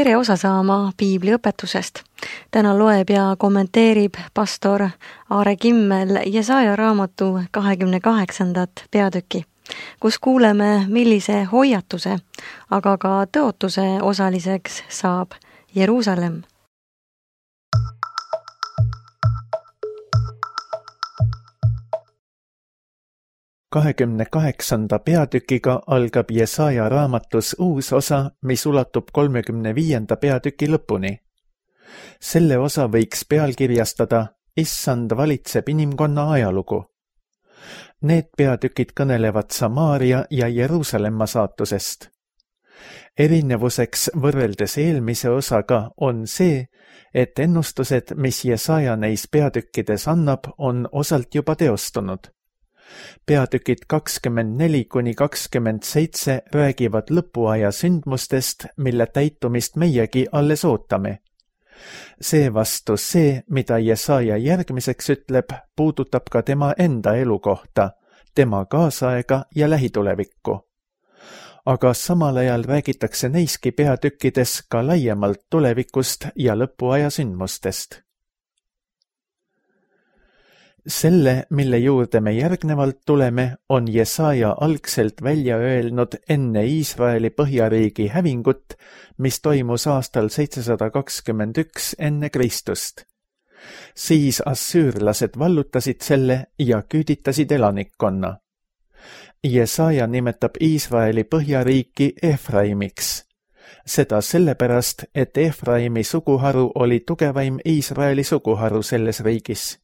tere osa saama piibliõpetusest. Täna loeb ja kommenteerib pastor Aare Kimmel Jesaja raamatu 28. peatüki, kus kuuleme, millise hoiatuse, aga ka tõotuse osaliseks saab Jeruusalemm. Kahekümne 28. peatükiga algab Jesaja raamatus uus osa, mis ulatub 35. peatüki lõpuni. Selle osa võiks pealkirjastada Issand valitseb inimkonna ajalugu. Need peatükid kõnelevad Samaaria ja Jeruusalemma saatusest. Erinevuseks võrreldes eelmise osaga on see, et ennustused, mis Jesaja neis peatükkides annab, on osalt juba teostunud. Peatükid 24–27 räägivad lõpuaja sündmustest, mille täitumist meiegi alles ootame. Seevastu see, mida Jesaja järgmiseks ütleb, puudutab ka tema enda elukohta, tema kaasaega ja lähitulevikku. Aga samal ajal räägitakse neiski peatükkides ka laiemalt tulevikust ja lõpuaja sündmustest. Selle, mille juurde me järgnevalt tuleme, on Jesaja algselt välja öelnud enne Iisraeli põhjariigi hävingut, mis toimus aastal 721 enne Kristust. Siis assüürlased vallutasid selle ja küüditasid elanikkonna. Jesaja nimetab Iisraeli põhjariiki Efraimiks. Seda sellepärast, et Efraimi suguharu oli tugevaim Iisraeli suguharu selles riigis.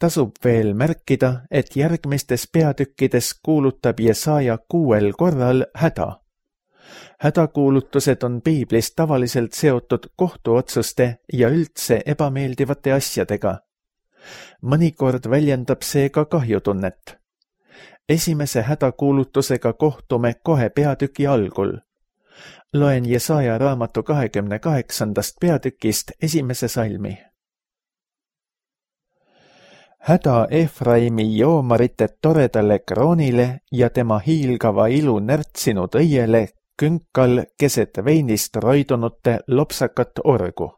Tasub veel märkida, et järgmistes peatükkides kuulutab Jesaja 6 korral häda. Hädakuulutused on piiblis tavaliselt seotud kohtuotsuste ja üldse ebameeldivate asjadega. Mõnikord väljendab see ka kahjutunnet. Esimese hädakuulutusega kohtume kohe peatüki algul. Loen Jesaja raamatu 28. peatükist esimese salmi. Häda Efraimi joomarite toredale kroonile ja tema hiilgava ilu närtsinud õiele künkal keset veinist roidunute lopsakat orgu.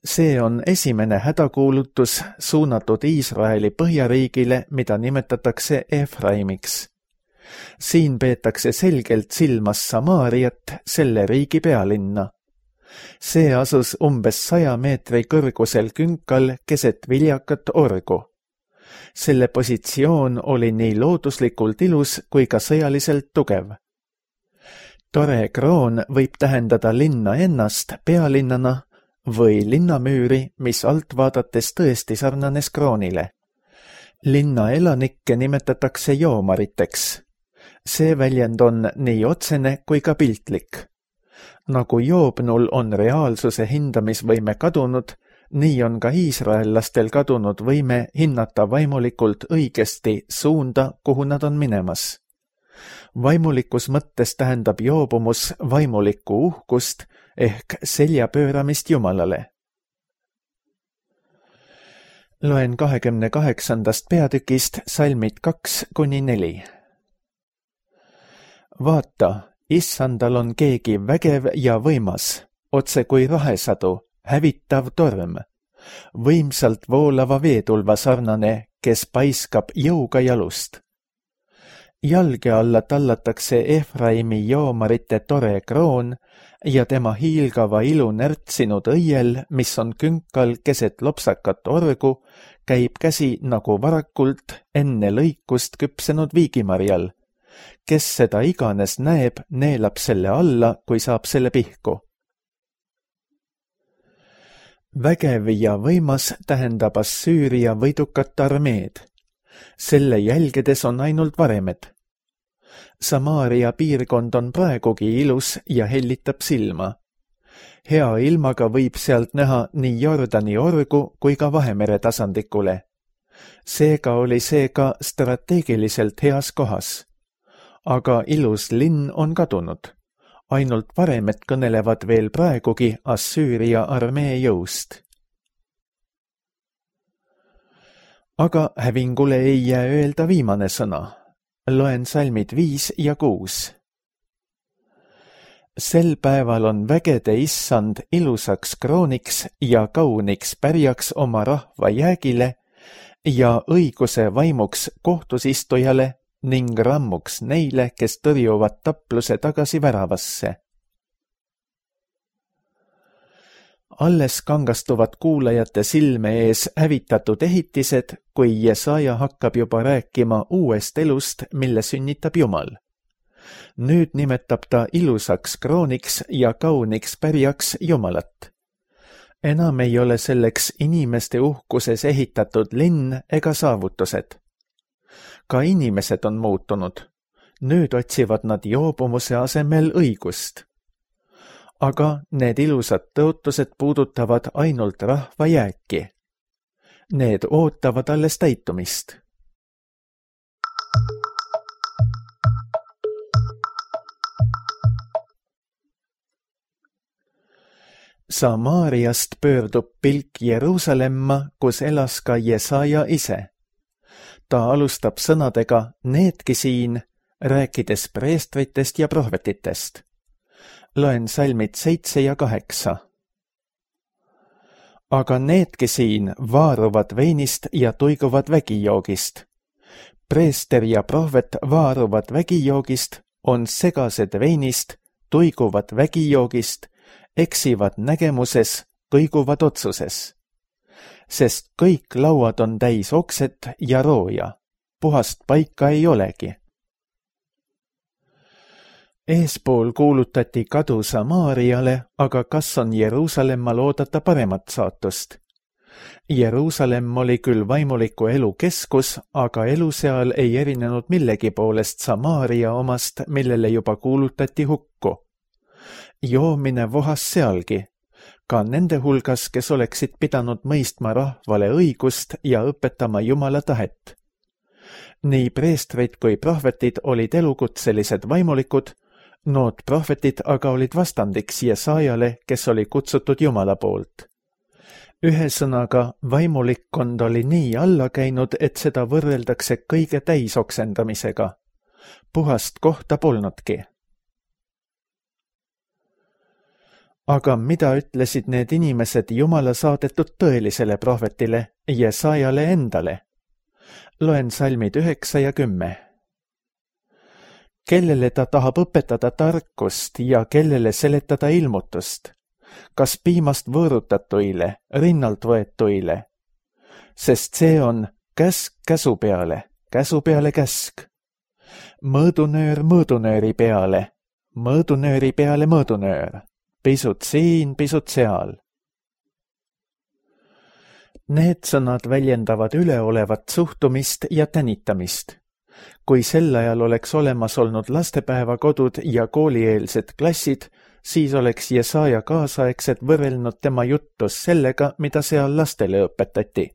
See on esimene hädakuulutus suunatud Iisraeli põhjariigile, mida nimetatakse Efraimiks. Siin peetakse selgelt silmas Samaariat, selle riigi pealinna. See asus umbes 100 meetri kõrgusel künkal keset viljakat orgu. Selle positsioon oli nii looduslikult ilus kui ka sõjaliselt tugev. Tore kroon võib tähendada linna ennast pealinnana või linnamüüri, mis alt vaadates tõesti sarnanes kroonile. Linna elanikke nimetatakse joomariteks. See väljend on nii otsene kui ka piltlik. Nagu joobnul on reaalsuse hindamisvõime kadunud, nii on ka iisraellastel kadunud võime hinnata vaimulikult õigesti suunda, kuhu nad on minemas. Vaimulikus mõttes tähendab joobumus vaimulikku uhkust ehk selja pööramist Jumalale. Loen 28. peatükist salmid 2–4. Vaata, Issandal on keegi vägev ja võimas, otse kui rahesadu, hävitav torm, võimsalt voolava veetulva sarnane, kes paiskab jõuga jalust. Jalge alla tallatakse Efraimi joomarite tore kroon ja tema hiilgava ilu närtsinud õiel, mis on künkal keset lopsakat orgu, käib käsi nagu varakult enne lõikust küpsenud viigimarjal. Kes seda iganes näeb, neelab selle alla, kui saab selle pihku. Vägev ja võimas tähendab Assüüria võidukat armeed. Selle jälgedes on ainult varemed. Samaaria piirkond on praegugi ilus ja hellitab silma. Hea ilmaga võib sealt näha nii Jordani orgu kui ka Vahemere tasandikule. Seega oli see ka strateegiliselt heas kohas. Aga ilus linn on kadunud. Ainult varemed kõnelevad veel praegugi Assüüria armee jõust. Aga hävingule ei jää öelda viimane sõna. Loen salmid 5 ja 6. Sel päeval on vägede issand ilusaks krooniks ja kauniks pärjaks oma rahva jäägile ja õiguse vaimuks kohtusistujale ning rammuks neile, kes tõrjuvad tapluse tagasi väravasse. Alles kangastuvad kuulajate silme ees hävitatud ehitised, kui Jesaja hakkab juba rääkima uuest elust, mille sünnitab Jumal. Nüüd nimetab ta ilusaks krooniks ja kauniks pärjaks Jumalat. Enam ei ole selleks inimeste uhkuses ehitatud linn ega saavutused. Ka inimesed on muutunud. Nüüd otsivad nad joobumuse asemel õigust. Aga need ilusad tõotused puudutavad ainult rahva jääki. Need ootavad alles täitumist. Samaariast pöördub pilk Jeruusalemma, kus elas ka Jesaja ise. Ta alustab sõnadega needki siin, rääkides preestritest ja prohvetitest. Loen salmid 7 ja 8. Aga needki siin vaaruvad veinist ja tuiguvad vägijoogist. Preester ja prohvet vaaruvad vägijoogist, on segased veinist, tuiguvad vägijoogist, eksivad nägemuses, kõiguvad otsuses. Sest kõik lauad on täis okset ja rooja, puhast paika ei olegi. Eespool kuulutati kadu Samaariale, aga kas on Jeruusalemmal oodata paremat saatust? Jeruusalemm oli küll vaimuliku elu keskus, aga elu seal ei erinenud millegi poolest Samaaria omast, millele juba kuulutati hukku. Joomine vohas sealgi, ka nende hulgas, kes oleksid pidanud mõistma rahvale õigust ja õpetama Jumala tahet. Nii preestrid kui prohvetid olid elukutselised vaimulikud, nood prohvetid aga olid vastandiks Jesajale, kes oli kutsutud Jumala poolt. Ühesõnaga, vaimulikkond oli nii alla käinud, et seda võrreldakse kõige täisoksendamisega. Puhast kohta polnudki. Aga mida ütlesid need inimesed Jumala saadetud tõelisele prohvetile, Jesajale endale? Loen salmid 9 ja 10. Kellele ta tahab õpetada tarkust ja kellele seletada ilmutust? Kas piimast võõrutatuile, rinnalt võetuile? Sest see on käsk käsu peale käsk. Mõõdunöör mõõdunööri peale mõõdunöör. Pisut siin, pisut seal. Need sõnad väljendavad üleolevat suhtumist ja tänitamist. Kui sel ajal oleks olemas olnud lastepäevakodud ja koolieelsed klassid, siis oleks Jesaja kaasaegset võrrelnud tema juttus sellega, mida seal lastele õpetati.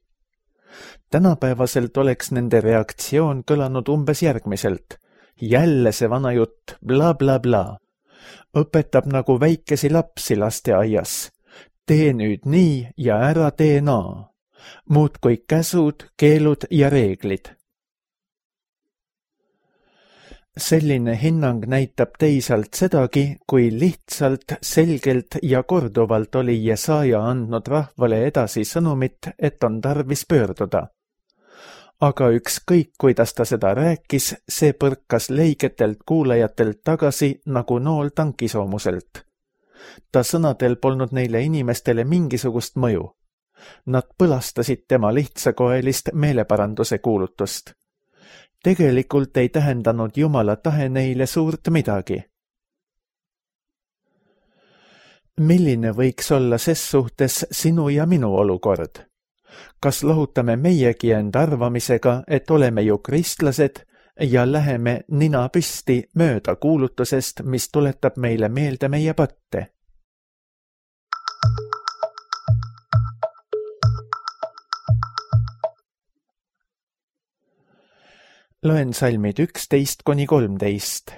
Tänapäevaselt oleks nende reaktsioon kõlanud umbes järgmiselt. Jälle see vana jutt, bla bla bla. Õpetab nagu väikesi lapsi lasteaias. Tee nüüd nii ja ära tee naa. Muudkui käsud, keelud ja reeglid. Selline hinnang näitab teisalt sedagi, kui lihtsalt, selgelt ja korduvalt oli Jesaja andnud rahvale edasi sõnumit, et on tarvis pöörduda. Aga ükskõik, kuidas ta seda rääkis, see põrkas leigetelt kuulajatelt tagasi nagu nool tankisoomuselt. Ta sõnadel polnud neile inimestele mingisugust mõju. Nad põlastasid tema lihtsakoelist meeleparanduse kuulutust. Tegelikult ei tähendanud Jumala tahe neile suurt midagi. Milline võiks olla ses suhtes sinu ja minu olukord? Kas lohutame meiegi end arvamisega, et oleme ju kristlased ja läheme nina püsti mööda kuulutusest, mis tuletab meile meelde meie patte? Loen salmid 11–13.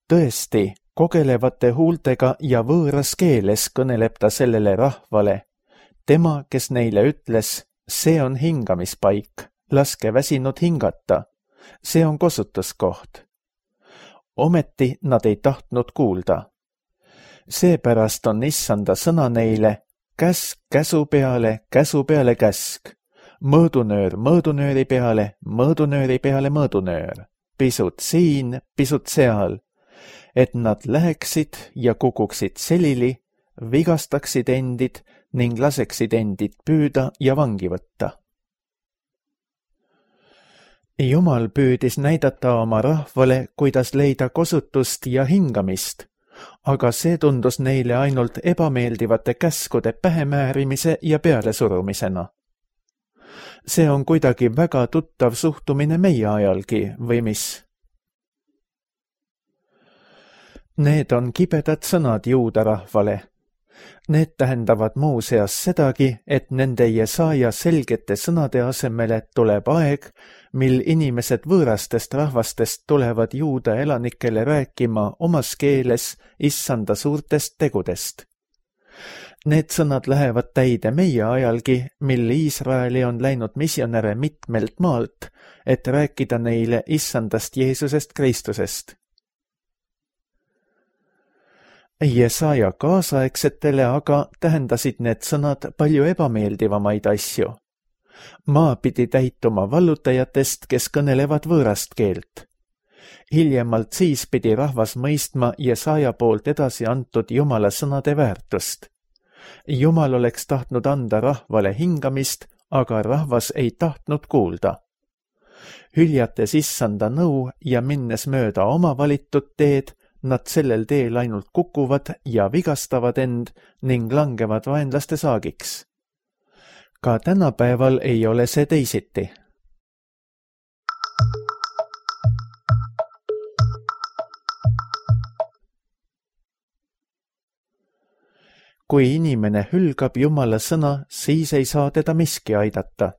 Tõesti, kogelevate huultega ja võõras keeles kõneleb ta sellele rahvale. Tema, kes neile ütles, see on hingamispaik, laske väsinud hingata. See on kosutuskoht. Ometi nad ei tahtnud kuulda. Seepärast on Issanda sõna neile käsk käsu peale käsk, mõõdunöör mõõdunööri peale mõõdunöör, pisut siin, pisut seal, et nad läheksid ja kukuksid selili, vigastaksid endid ning laseksid endid püüda ja vangi võtta. Jumal püüdis näidata oma rahvale, kuidas leida kosutust ja hingamist, aga see tundus neile ainult ebameeldivate käskude pähemäärimise ja pealesurumisena. See on kuidagi väga tuttav suhtumine meie ajalgi, või mis? Need on kibedad sõnad juuda rahvale. Need tähendavad muuseas sedagi, et nende Jesaja selgete sõnade asemele tuleb aeg, mil inimesed võõrastest rahvastest tulevad juuda elanikele rääkima omas keeles Issanda suurtest tegudest. Need sõnad lähevad täide meie ajalgi, mil Iisraeli on läinud misjonäre mitmelt maalt, et rääkida neile Issandast Jeesusest Kristusest. Jesaja kaasaegsetele aga tähendasid need sõnad palju ebameeldivamaid asju. Maa pidi täituma vallutajatest, kes kõnelevad võõrast keelt. Hiljemalt siis pidi rahvas mõistma Jesaja poolt edasi antud Jumala sõnade väärtust. Jumal oleks tahtnud anda rahvale hingamist, aga rahvas ei tahtnud kuulda. Hüljates Issanda nõu ja minnes mööda oma valitud teed, nad sellel teel ainult kukuvad ja vigastavad end ning langevad vaenlaste saagiks. Ka tänapäeval ei ole see teisiti. Kui inimene hülgab Jumala sõna, siis ei saa teda miski aidata.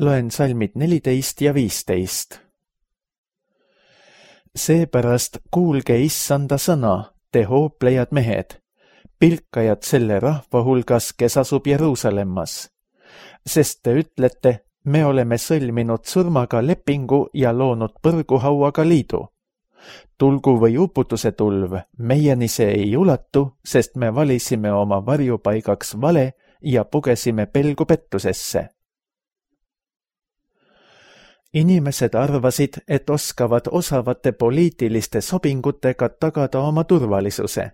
Loen salmid 14 ja 15. Seepärast kuulge Issanda sõna, te hooplejad mehed, pilkajad selle rahva hulgas, kes asub Jeruusalemmas. Sest te ütlete, me oleme sõlminud surmaga lepingu ja loonud põrguhauaga liidu. Tulgu või uputuse tulv, meieni see ei ulatu, sest me valisime oma varjupaigaks vale ja pugesime pelgu pettusesse. Inimesed arvasid, et oskavad osavate poliitiliste sobingutega tagada oma turvalisuse.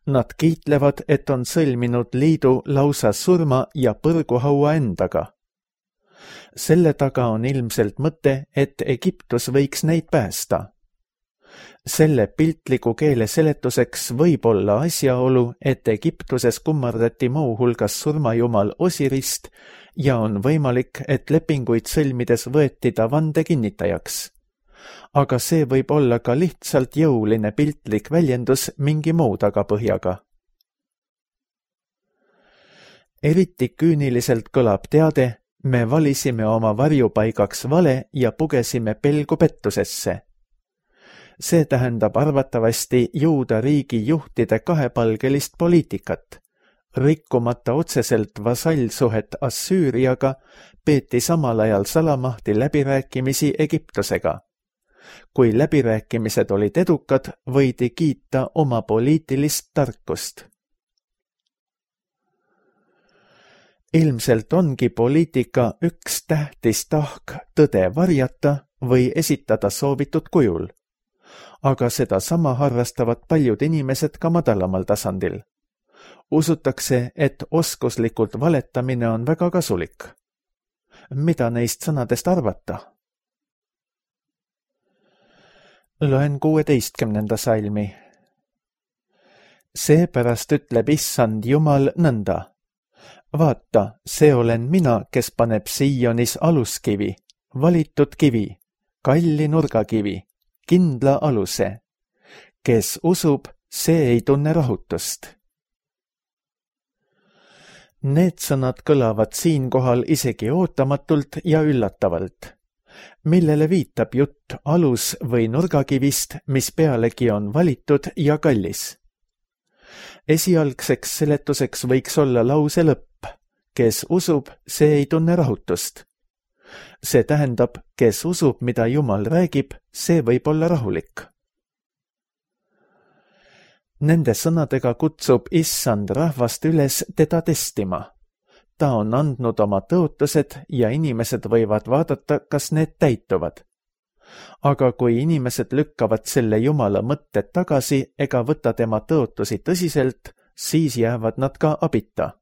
Nad kiitlevad, et on sõlminud liidu lausa surma ja põrguhaua endaga. Selle taga on ilmselt mõte, et Egiptus võiks neid päästa. Selle piltliku keele seletuseks võib olla asjaolu, et Egiptuses kummardati muu hulgas surmajumal Osirist ja on võimalik, et lepinguid sõlmides võeti ta vande kinnitajaks. Aga see võib olla ka lihtsalt jõuline piltlik väljendus mingi muu tagapõhjaga. Eriti küüniliselt kõlab teade, me valisime oma varjupaigaks vale ja pugesime pelgu pettusesse. See tähendab arvatavasti Juuda riigi juhtide kahepalgelist poliitikat. Rikkumata otseselt vasallsuhet Assüüriaga, peeti samal ajal salamahti läbirääkimisi Egiptusega. Kui läbirääkimised olid edukad, võidi kiita oma poliitilist tarkust. Ilmselt ongi poliitika üks tähtis tahk tõde varjata või esitada soovitud kujul. Aga seda sama harrastavad paljud inimesed ka madalamal tasandil. Usutakse, et oskuslikult valetamine on väga kasulik. Mida neist sõnadest arvata? Loen 16. salmi. Seepärast ütleb Issand Jumal nõnda. Vaata, see olen mina, kes paneb Sionis aluskivi, valitud kivi, kalli nurgakivi, kindla aluse. Kes usub, see ei tunne rahutust. Need sõnad kõlavad siinkohal isegi ootamatult ja üllatavalt. Millele viitab jutt alus- või nurgakivist, mis pealegi on valitud ja kallis? Esialgseks seletuseks võiks olla lause lõpp. Kes usub, see ei tunne rahutust. See tähendab, kes usub, mida Jumal räägib, see võib olla rahulik. Nende sõnadega kutsub Issand rahvast üles teda testima. Ta on andnud oma tõotused ja inimesed võivad vaadata, kas need täituvad. Aga kui inimesed lükkavad selle Jumala mõtted tagasi ega võta tema tõotusi tõsiselt, siis jäävad nad ka abita.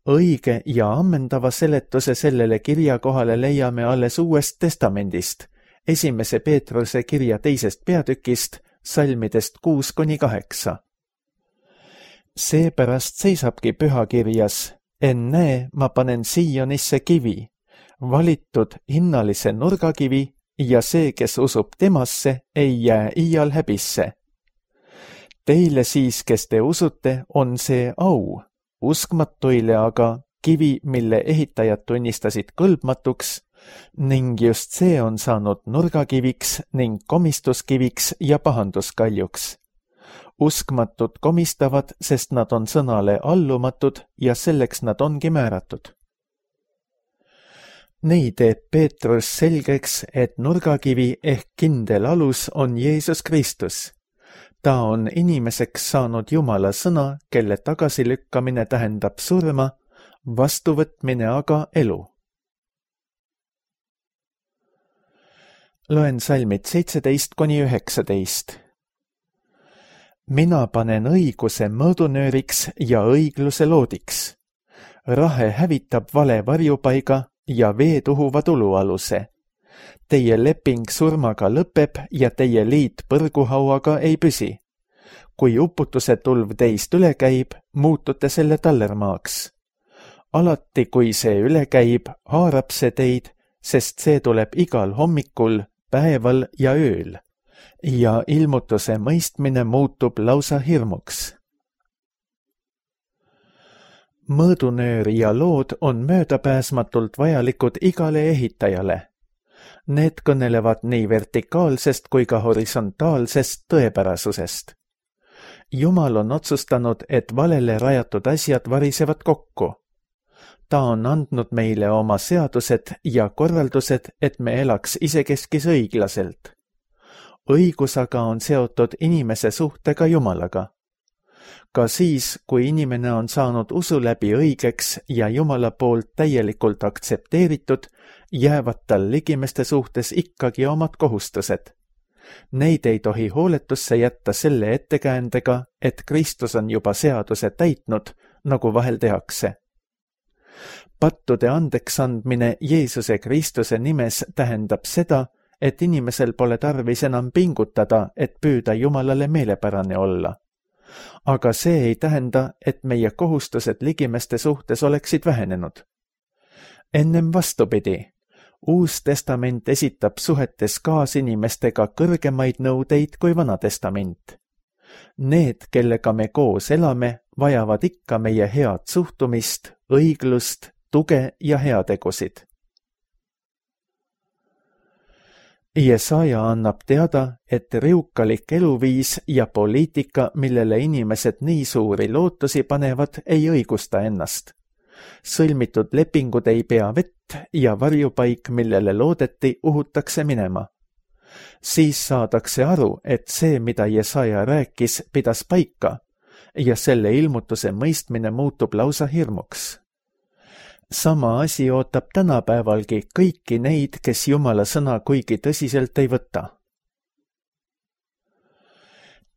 Õige ja ammendava seletuse sellele kirjakohale leiame alles Uuest Testamendist, 1. Peetruse kirja 2. peatükist, salmidest 6-8. Seepärast seisabki pühakirjas, ennäe, ma panen Siionisse kivi, valitud hinnalise nurgakivi ja see, kes usub temasse, ei jää iial häbisse. Teile siis, kes te usute, on see au, uskmatuile aga kivi, mille ehitajad tunnistasid kõlbmatuks, ning just see on saanud nurgakiviks ning komistuskiviks ja pahanduskaljuks. Uskmatud komistavad, sest nad on sõnale allumatud ja selleks nad ongi määratud. Nii teeb Peetrus selgeks, et nurgakivi ehk kindel alus on Jeesus Kristus. Ta on inimeseks saanud Jumala sõna, kelle tagasilükkamine tähendab surma, vastuvõtmine aga elu. Loen salmid 17-19. Mina panen õiguse mõõdunööriks ja õigluse loodiks. Rahe hävitab vale varjupaiga ja veed uhuvad ulualuse. Teie leping surmaga lõpeb ja teie liit põrguhauaga ei püsi. Kui uputuse tulv teist üle käib, muutute selle tallermaaks. Alati, kui see üle käib, haarab see teid, sest see tuleb igal hommikul, päeval ja ööl. Ja ilmutuse mõistmine muutub lausa hirmuks. Mõõdunöör ja lood on möödapääsmatult vajalikud igale ehitajale. Need kõnelevad nii vertikaalsest kui ka horisontaalsest tõepärasusest. Jumal on otsustanud, et valele rajatud asjad varisevad kokku. Ta on andnud meile oma seadused ja korraldused, et me elaks isekeskis õiglaselt. Õigus aga on seotud inimese suhtega Jumalaga. Ka siis, kui inimene on saanud usu läbi õigeks ja Jumala poolt täielikult aktsepteeritud, jäävad tal ligimeste suhtes ikkagi omad kohustused. Neid ei tohi hooletusse jätta selle ettekäändega, et Kristus on juba seaduse täitnud, nagu vahel tehakse. Pattude andeks andmine Jeesuse Kristuse nimes tähendab seda, et inimesel pole tarvis enam pingutada, et püüda Jumalale meelepärane olla. Aga see ei tähenda, et meie kohustused ligimeste suhtes oleksid vähenenud. Ennem vastupidi, Uus Testament esitab suhetes kaasinimestega kõrgemaid nõudeid kui Vana Testament. Need, kellega me koos elame, vajavad ikka meie head suhtumist, õiglust, tuge ja heategusid. Jesaja annab teada, et riukalik eluviis ja poliitika, millele inimesed nii suuri lootusi panevad, ei õigusta ennast. Sõlmitud lepingud ei pea vett ja varjupaik, millele loodeti, uhutakse minema. Siis saadakse aru, et see, mida Jesaja rääkis, pidas paika ja selle ilmutuse mõistmine muutub lausa hirmuks. Sama asi ootab tänapäevalgi kõiki neid, kes Jumala sõna kuigi tõsiselt ei võta.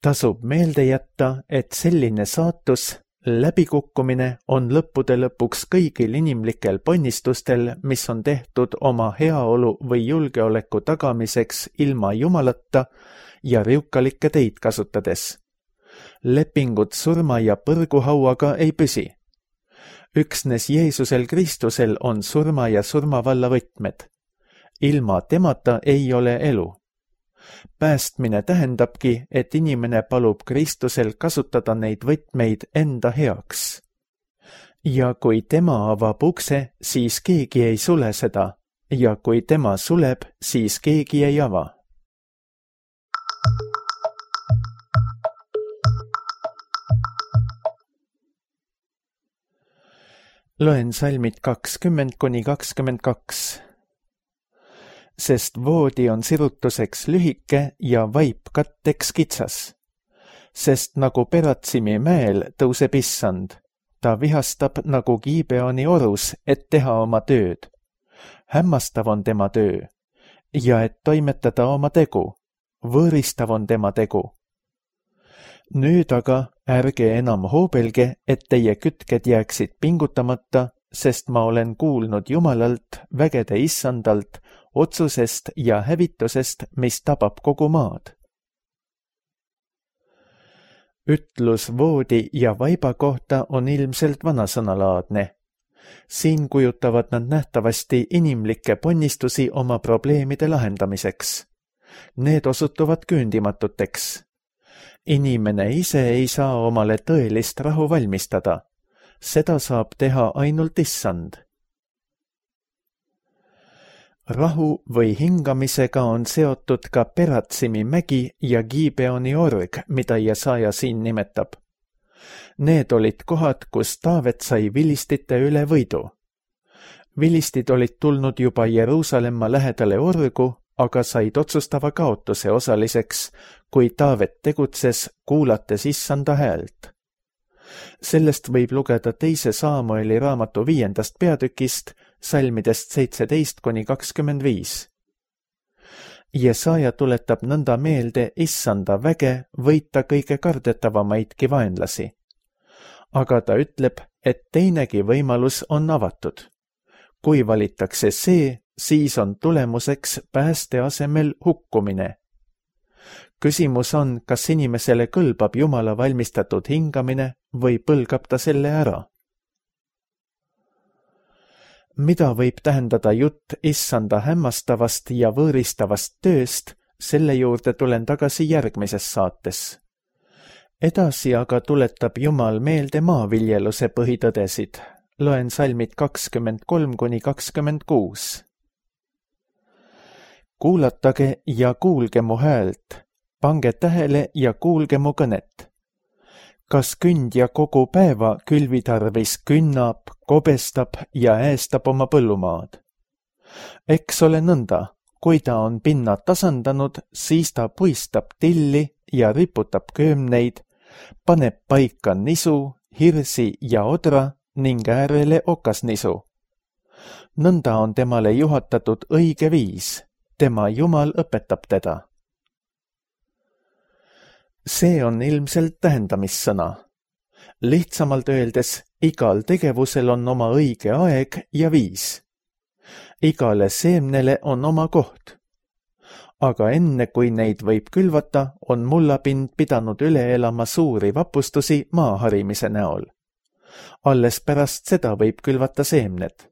Tasub meelde jätta, et selline saatus, läbikukkumine on lõppude lõpuks kõigil inimlikel ponnistustel, mis on tehtud oma heaolu või julgeoleku tagamiseks ilma Jumalata ja riukalikke teid kasutades. Lepingud surma ja põrguhauaga ei püsi. Üksnes Jeesusel Kristusel on surma ja surmavalla võtmed. Ilma temata ei ole elu. Päästmine tähendabki, et inimene palub Kristusel kasutada neid võtmeid enda heaks. Ja kui tema avab ukse, siis keegi ei sule seda, ja kui tema suleb, siis keegi ei ava. Loen salmid 20–22. Sest voodi on sirutuseks lühike ja vaip katteks kitsas. Sest nagu Peratsimi mäel tõuseb issand, ta vihastab nagu Gibeoni orus, et teha oma tööd. Hämmastav on tema töö ja et toimetada oma tegu, võõristav on tema tegu. Nüüd aga ärge enam hoobelge, et teie kütked jääksid pingutamata, sest ma olen kuulnud Jumalalt, vägede issandalt, otsusest ja hävitusest, mis tabab kogu maad. Ütlus voodi ja vaiba kohta on ilmselt vanasõnalaadne. Siin kujutavad nad nähtavasti inimlikke ponnistusi oma probleemide lahendamiseks. Need osutuvad küündimatuteks. Inimene ise ei saa omale tõelist rahu valmistada. Seda saab teha ainult issand. Rahu või hingamisega on seotud ka Peratsimi mägi ja Gibeoni org, mida Jesaja siin nimetab. Need olid kohad, kus Taavet sai vilistite üle võidu. Vilistid olid tulnud juba Jeruusalemma lähedale orgu, aga said otsustava kaotuse osaliseks, kui Taavet tegutses, kuulates issanda häält. Sellest võib lugeda 2 Saamueli raamatu 5. peatükist, salmidest 17–25. Jesaja tuletab nõnda meelde issanda väge võita kõige kardetavamaidki vaenlasi. Aga ta ütleb, et teinegi võimalus on avatud. Kui valitakse see, siis on tulemuseks pääste asemel hukkumine. Küsimus on, kas inimesele kõlbab Jumala valmistatud hingamine või põlgab ta selle ära. Mida võib tähendada jutt issanda hämmastavast ja võõristavast tööst, selle juurde tulen tagasi järgmises saates. Edasi aga tuletab Jumal meelde maaviljeluse põhitõdesid. Loen salmid 23–26. Kuulatage ja kuulge mu häält, pange tähele ja kuulge mu kõnet. Kas kündja kogu päeva külvi tarvis künnab, kobestab ja äästab oma põllumaad? Eks ole nõnda, kui ta on pinna tasandanud, siis ta puistab tilli ja riputab köömneid, paneb paika nisu, hirsi ja odra ning äärele okasnisu. Nõnda on temale juhatatud õige viis, tema Jumal õpetab teda. See on ilmselt tähendamissõna. Lihtsamalt öeldes, igal tegevusel on oma õige aeg ja viis. Igale seemnele on oma koht. Aga enne, kui neid võib külvata, on mullapind pidanud üle elama suuri vapustusi maaharimise näol. Alles pärast seda võib külvata seemned.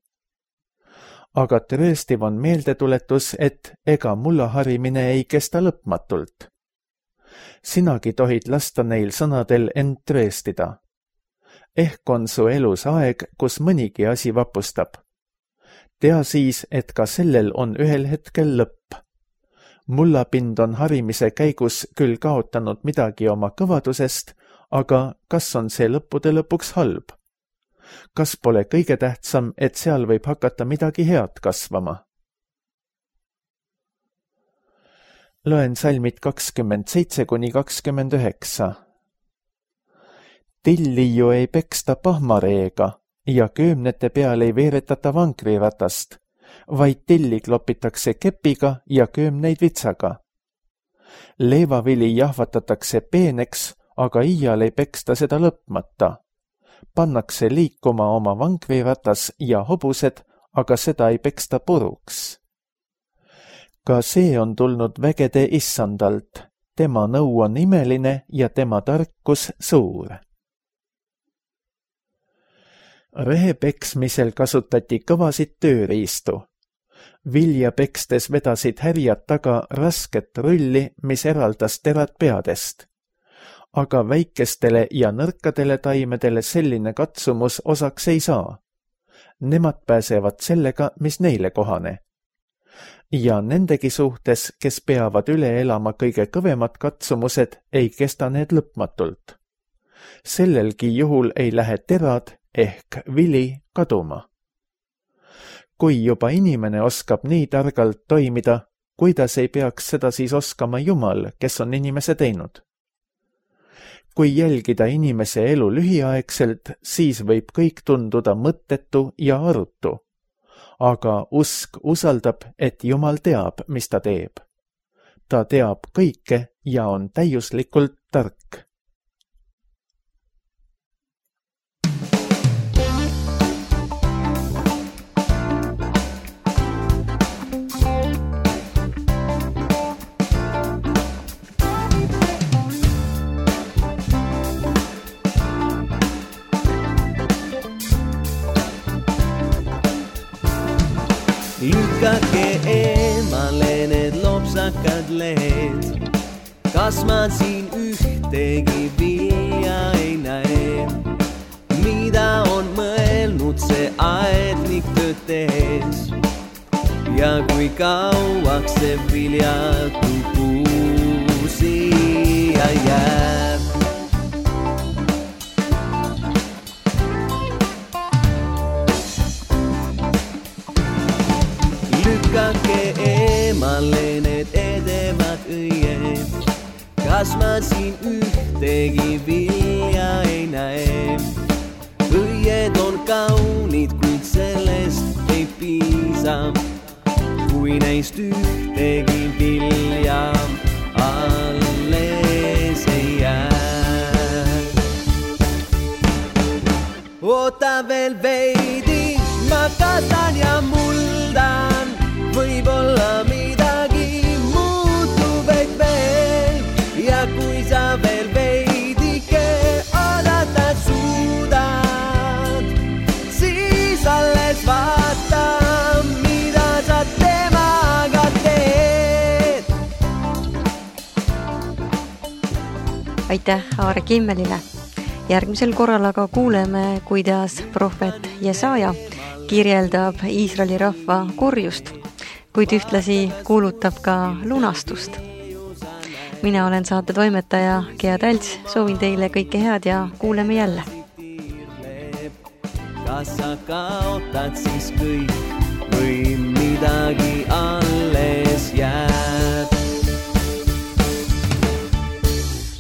Aga trööstiv on meeldetuletus, et ega mullaharimine ei kesta lõpmatult. Sinagi tohid lasta neil sõnadel end trööstida. Ehk on su elus aeg, kus mõnigi asi vapustab. Tea siis, et ka sellel on ühel hetkel lõpp. Mullapind on harimise käigus küll kaotanud midagi oma kõvadusest, aga kas on see lõppude lõpuks halb? Kas pole kõige tähtsam, et seal võib hakata midagi head kasvama? Loen salmid 27–29. Tilli ju ei peksta pahmareega ja köömnete peal ei veeretata vankriratast, vaid tilli klopitakse kepiga ja köömneid vitsaga. Leevavili jahvatatakse peeneks, aga iial ei peksta seda lõpmata. Pannakse liikuma oma vankriratas ja hobused, aga seda ei peksta puruks. Ka see on tulnud vägede issandalt, tema nõu on imeline ja tema tarkus suur. Rehe peksmisel kasutati kõvasid tööriistu. Vilja pekstes vedasid härjad taga rasket rulli, mis eraldas terad peadest. Aga väikestele ja nõrkadele taimedele selline katsumus osaks ei saa. Nemad pääsevad sellega, mis neile kohane. Ja nendegi suhtes, kes peavad üle elama kõige kõvemad katsumused, ei kesta need lõpmatult. Sellelgi juhul ei lähe terad ehk vili kaduma. Kui juba inimene oskab nii targalt toimida, kuidas ei peaks seda siis oskama Jumal, kes on inimese teinud? Kui jälgida inimese elu lühiaegselt, siis võib kõik tunduda mõttetu ja arutu. Aga usk usaldab, et Jumal teab, mis ta teeb. Ta teab kõike ja on täiuslikult tark. Lükkake eemale need lopsakad lehed, kas ma siin ühtegi vilja ei näe? Mida on mõelnud see aednik tööd tehes ja kui kauaks see viljatu puu siia jääb? Lükkake eemale need edevad õied, kas ma siin ühtegi vilja ei näe? Õied on kaunid, kuid sellest ei piisa, kui neist ühtegi vilja alles ei jää. Oota veel veidi, ma kastan ja muldan, võib-olla midagi muutub ehk veel. Ja kui sa veel veidike oodata suudad, siis alles vaata, mida sa temaga teed. Aitäh Aare Kimmelile. Järgmisel korral aga kuuleme, kuidas prohvet Jesaja kirjeldab Iisraeli rahva kurjust, kuid ühtlasi kuulutab ka lunastust. Mina olen saate toimetaja Gea Tälts, soovin teile kõike head ja kuuleme jälle. Kas sa kaotad siis kõik või midagi alles jääb?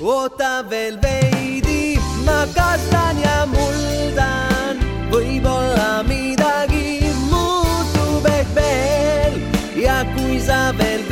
Oota veel veidi, ma kastan ja muldan, võib-olla midagi muutub ehk veel. Ja kui sa veel